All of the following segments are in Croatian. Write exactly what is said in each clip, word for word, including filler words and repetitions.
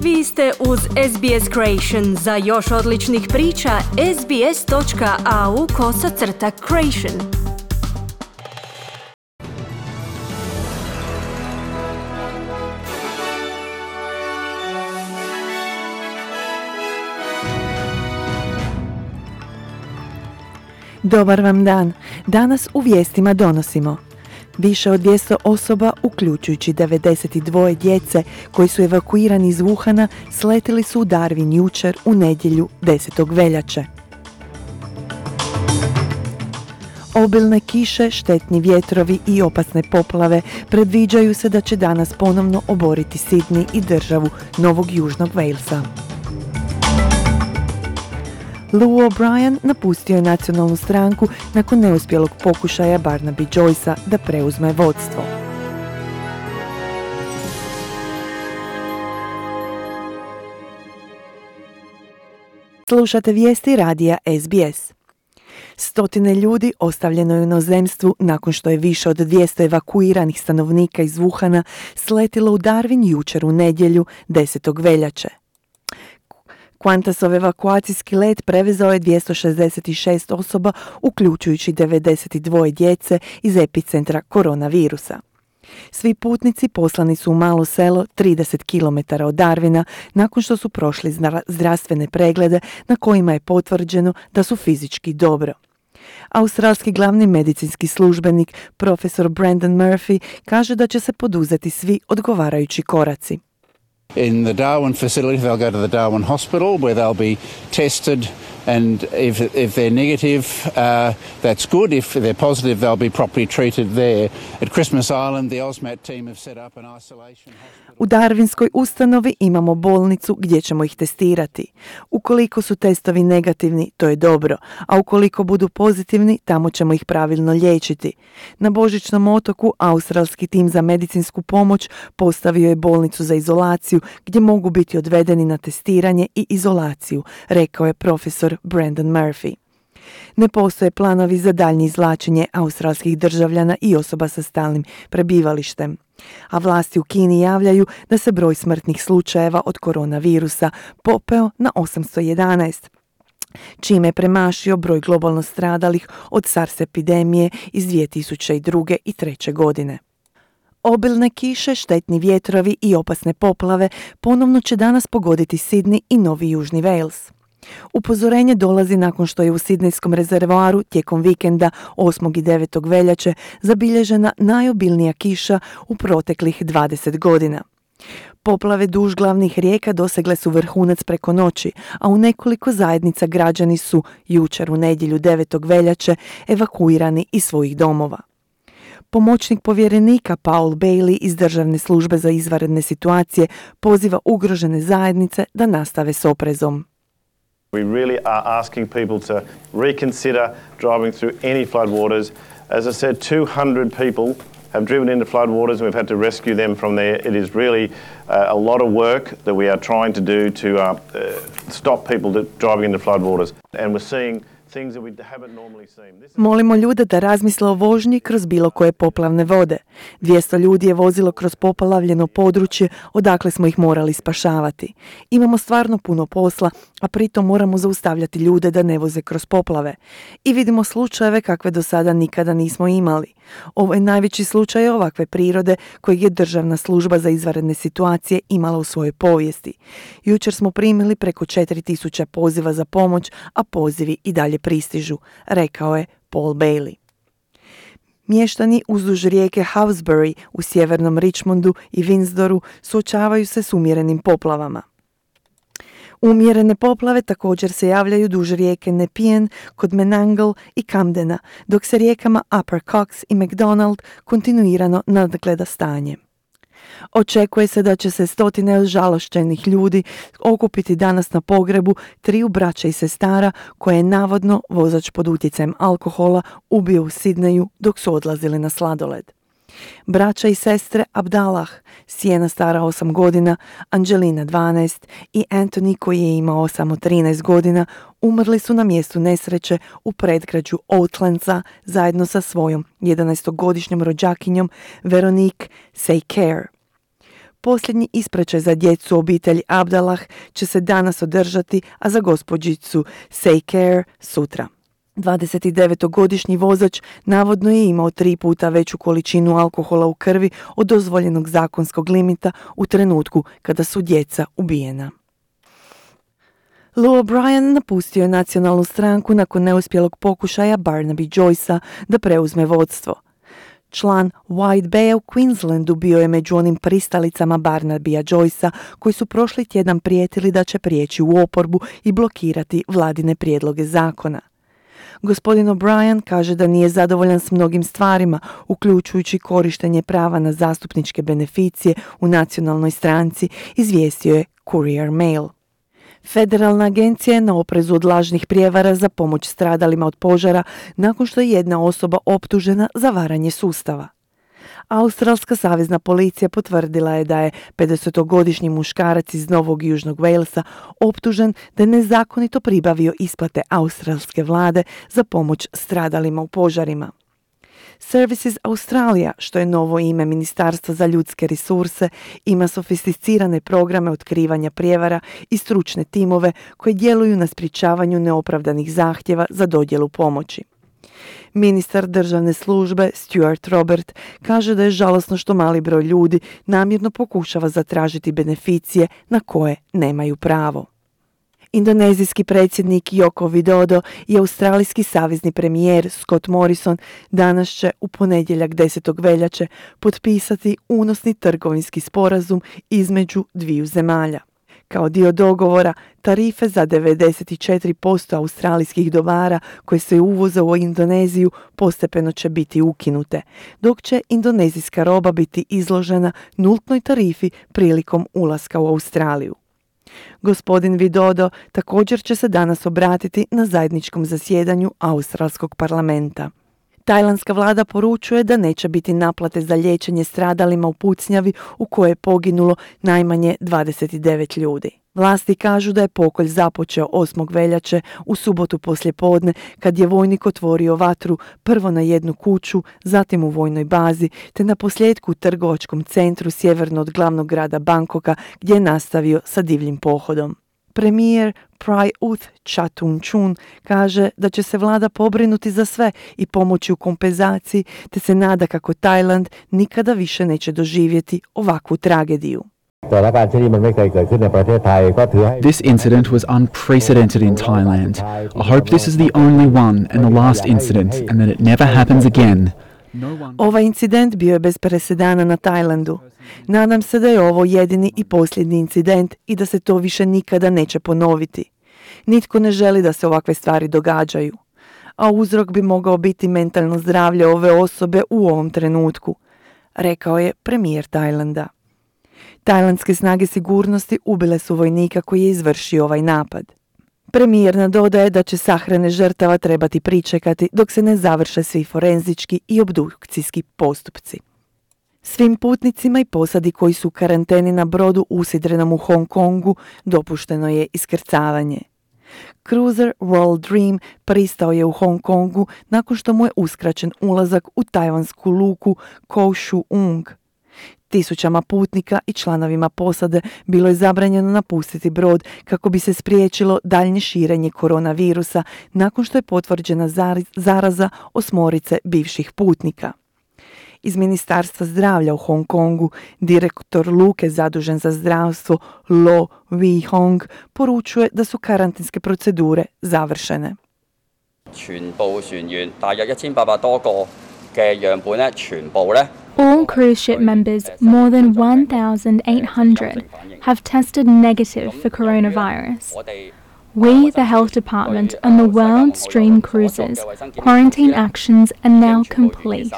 Vi ste uz S B S Creation. Za još odličnih priča, sbs.au kosacrta creation. Dobar vam dan. Danas u vijestima donosimo: više od dvjesto osoba, uključujući devedeset dva djece koji su evakuirani iz Wuhana, sletili su u Darwin jučer u nedjelju desetog veljače. Obilne kiše, štetni vjetrovi i opasne poplave predviđaju se da će danas ponovno oboriti Sidney i državu Novog Južnog Walesa. Lou O'Brien napustio je nacionalnu stranku nakon neuspjelog pokušaja Barnaby Joycea da preuzme vodstvo. Slušate vijesti radija S B S. Stotine ljudi ostavljeno je u inozemstvu nakon što je više od dvjesto evakuiranih stanovnika iz Wuhana sletilo u Darwin jučer u nedjelju desetog veljače. Qantasov evakuacijski let prevezao je dvjesto šezdeset šest osoba, uključujući devedeset dva djece iz epicentra koronavirusa. Svi putnici poslani su u malo selo trideset kilometara od Darwina nakon što su prošli zdravstvene preglede na kojima je potvrđeno da su fizički dobro. Australski glavni medicinski službenik, profesor Brendan Murphy, kaže da će se poduzeti svi odgovarajući koraci. In the Darwin facility, they'll go to the Darwin hospital where they'll be tested, and if, if they're negative, uh, that's good. If they're positive, they'll be properly treated there. At Christmas Island, the AUSMAT team have set up an isolation hospital. U Darwinskoj ustanovi imamo bolnicu gdje ćemo ih testirati. Ukoliko su testovi negativni, to je dobro, a ukoliko budu pozitivni, tamo ćemo ih pravilno liječiti. Na Božićnom otoku australski tim za medicinsku pomoć postavio je bolnicu za izolaciju gdje mogu biti odvedeni na testiranje i izolaciju, rekao je profesor Brendan Murphy. Ne postoje planovi za daljnje izvlačenje australskih državljana i osoba sa stalnim prebivalištem. A vlasti u Kini javljaju da se broj smrtnih slučajeva od koronavirusa popeo na osamsto jedanaest, čime je premašio broj globalno stradalih od SARS epidemije iz dvije tisuće druge i treće godine. Obilne kiše, štetni vjetrovi i opasne poplave ponovno će danas pogoditi Sidney i Novi Južni Wales. Upozorenje dolazi nakon što je u Sidnejskom rezervoaru tijekom vikenda osmog i devetog veljače zabilježena najobilnija kiša u proteklih dvadeset godina. Poplave duž glavnih rijeka dosegle su vrhunac preko noći, a u nekoliko zajednica građani su jučer u nedjelju devetog veljače evakuirani iz svojih domova. Pomoćnik povjerenika Paul Bailey iz Državne službe za izvanredne situacije poziva ugrožene zajednice da nastave s oprezom. We really are asking people to reconsider driving through any flood waters. As I said, two hundred people have driven into flood waters and we've had to rescue them from there. It is really uh, a lot of work that we are trying to do to uh, uh, stop people that driving into flood waters. And we're seeing things that we haven't normally seen. This is... Molimo ljude da razmisle o vožnji kroz bilo koje poplavne vode. dvjesto ljudi je vozilo kroz poplavljeno područje odakle smo ih morali spašavati. Imamo stvarno puno posla, a pritom moramo zaustavljati ljude da ne voze kroz poplave. I vidimo slučajeve kakve do sada nikada nismo imali. Ovo je najveći slučaj ovakve prirode kojeg je Državna služba za izvanredne situacije imala u svojoj povijesti. Jučer smo primili preko četiri tisuće poziva za pomoć, a pozivi i dalje pristižu, rekao je Paul Bailey. Mještani uzduž rijeke Hawkesbury u sjevernom Richmondu i Windsoru suočavaju se s umjerenim poplavama. Umjerene poplave također se javljaju duž rijeke Nepean kod Menangle i Camdena, dok se rijekama Upper Cox i McDonald kontinuirano nadgleda stanje. Očekuje se da će se stotine žalošćenih ljudi okupiti danas na pogrebu triju braća i sestara koje je navodno vozač pod utjecajem alkohola ubio u Sidneju dok su odlazili na sladoled. Braća i sestre Abdallah, Sienna stara osam godina, Angelina dvanaest i Anthony koji je imao samo trinaest godina, umrli su na mjestu nesreće u predgrađu Oatlandsa zajedno sa svojom jedanaestogodišnjom rođakinjom Veronique Saycare. Posljednji ispraćaj za djecu obitelji Abdallah će se danas održati, a za gospođicu Saycare sutra. dvadesetdevetogodišnji vozač navodno je imao tri puta veću količinu alkohola u krvi od dozvoljenog zakonskog limita u trenutku kada su djeca ubijena. Lou O'Brien napustio je nacionalnu stranku nakon neuspjelog pokušaja Barnaby Joycea da preuzme vodstvo. Član White Baya u Queenslandu bio je među onim pristalicama Barnabya Joycea koji su prošli tjedan prijetili da će prijeći u oporbu i blokirati vladine prijedloge zakona. Gospodin O'Brien kaže da nije zadovoljan s mnogim stvarima, uključujući korištenje prava na zastupničke beneficije u nacionalnoj stranci, izvijestio je Courier Mail. Federalna agencija je na oprezu od lažnih prijevara za pomoć stradalima od požara nakon što je jedna osoba optužena za varanje sustava. Australska savezna policija potvrdila je da je pedesetogodišnji muškarac iz Novog Južnog Walesa optužen da je nezakonito pribavio isplate australske vlade za pomoć stradalima u požarima. Services Australia, što je novo ime Ministarstva za ljudske resurse, ima sofisticirane programe otkrivanja prijevara i stručne timove koji djeluju na sprječavanju neopravdanih zahtjeva za dodjelu pomoći. Ministar državne službe Stuart Robert kaže da je žalosno što mali broj ljudi namjerno pokušava zatražiti beneficije na koje nemaju pravo. Indonezijski predsjednik Joko Widodo i australijski savezni premijer Scott Morrison danas će u ponedjeljak desetog veljače potpisati unosni trgovinski sporazum između dviju zemalja. Kao dio dogovora, tarife za devedeset četiri posto australijskih dobara koje se uvoze u Indoneziju postepeno će biti ukinute, dok će indonezijska roba biti izložena nultnoj tarifi prilikom ulaska u Australiju. Gospodin Widodo također će se danas obratiti na zajedničkom zasjedanju Australskog parlamenta. Tajlandska vlada poručuje da neće biti naplate za liječenje stradalima u pucnjavi u kojoj je poginulo najmanje dvadeset devet ljudi. Vlasti kažu da je pokolj započeo osmog veljače u subotu poslijepodne kad je vojnik otvorio vatru prvo na jednu kuću, zatim u vojnoj bazi, te na posljedku u trgovačkom centru sjeverno od glavnog grada Bangkoka gdje je nastavio sa divljim pohodom. Premijer Prayut Chattochun kaže da će se vlada pobrinuti za sve i pomoći u kompenzaciji, te se nada kako Tajland nikada više neće doživjeti ovakvu tragediju. This incident was unprecedented in Thailand. I hope this is the only one and the last incident and that it never happens again. Ovaj incident bio je bez presedana na Tajlandu. Nadam se da je ovo jedini i posljednji incident i da se to više nikada neće ponoviti. Nitko ne želi da se ovakve stvari događaju. A uzrok bi mogao biti mentalno zdravlje ove osobe u ovom trenutku, rekao je premijer Tajlanda. Tajlandske snage sigurnosti ubile su vojnika koji je izvršio ovaj napad. Premijer nadodaje da će sahrane žrtava trebati pričekati dok se ne završe svi forenzički i obdukcijski postupci. Svim putnicima i posadi koji su u karanteni na brodu usidrenom u Hong Kongu dopušteno je iskrcavanje. Cruiser World Dream pristao je u Hong Kongu nakon što mu je uskraćen ulazak u tajvansku luku Koh Shu-ung. Tisućama putnika i članovima posade bilo je zabranjeno napustiti brod kako bi se spriječilo daljnje širenje koronavirusa nakon što je potvrđena zaraza osmorice bivših putnika. Iz Ministarstva zdravlja u Hong Kongu direktor luke zadužen za zdravstvo Lo Wei-hong poručuje da su karantinske procedure završene. All cruise ship members, more than one thousand eight hundred, have tested negative for coronavirus. We, the health department, and the World Stream Cruises, quarantine actions are now complete.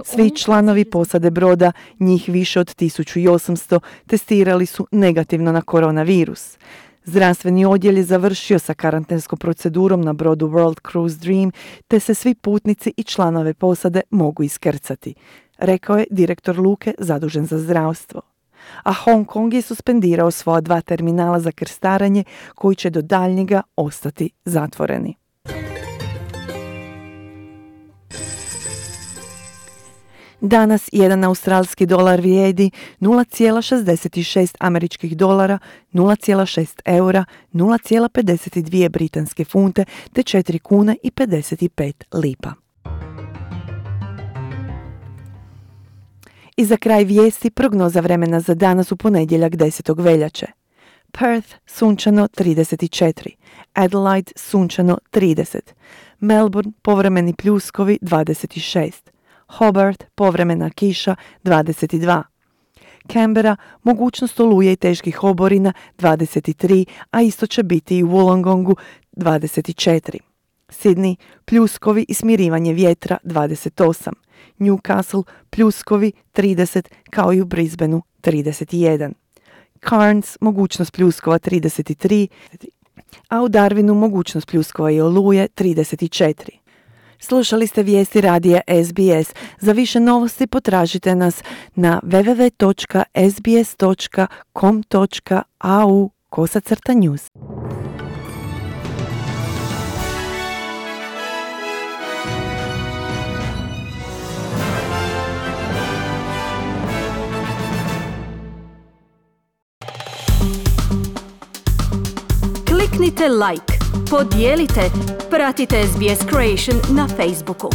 Svi članovi posade broda, njih više od tisuću osamsto, testirali su negativno na koronavirus. Zdravstveni odjel je završio sa karantenskom procedurom na brodu World Cruise Dream, te se svi putnici i članove posade mogu iskrcati, rekao je direktor luke zadužen za zdravstvo. A Hong Kong je suspendirao svoja dva terminala za krstarenje koji će do daljnjega ostati zatvoreni. Danas jedan australski dolar vrijedi nula zarez šezdeset šest američkih dolara, nula zarez šest eura, nula zarez pedeset dvije britanske funte te četiri kune i pedeset pet lipa. I za kraj vijesti prognoza vremena za danas u ponedjeljak desetog veljače. Perth sunčano trideset četiri, Adelaide sunčano trideset, Melbourne povremeni pljuskovi dvadeset šest, Hobart povremena kiša dvadeset dva, Canberra mogućnost oluje i teških oborina dvadeset tri, a isto će biti i u Wollongongu dvadeset četiri. Sydney pljuskovi i smirivanje vjetra dvadeset osam, Newcastle pljuskovi trideset kao i u Brisbaneu trideset jedan. Cairns mogućnost pljuskova trideset tri, a u Darwinu mogućnost pljuskova i oluje trideset četiri. Slušali ste vijesti radija S B S. Za više novosti potražite nas na w w w točka s b s točka com točka a u kosacrta news. Kliknite like, podijelite, pratite S B S Creation na Facebooku.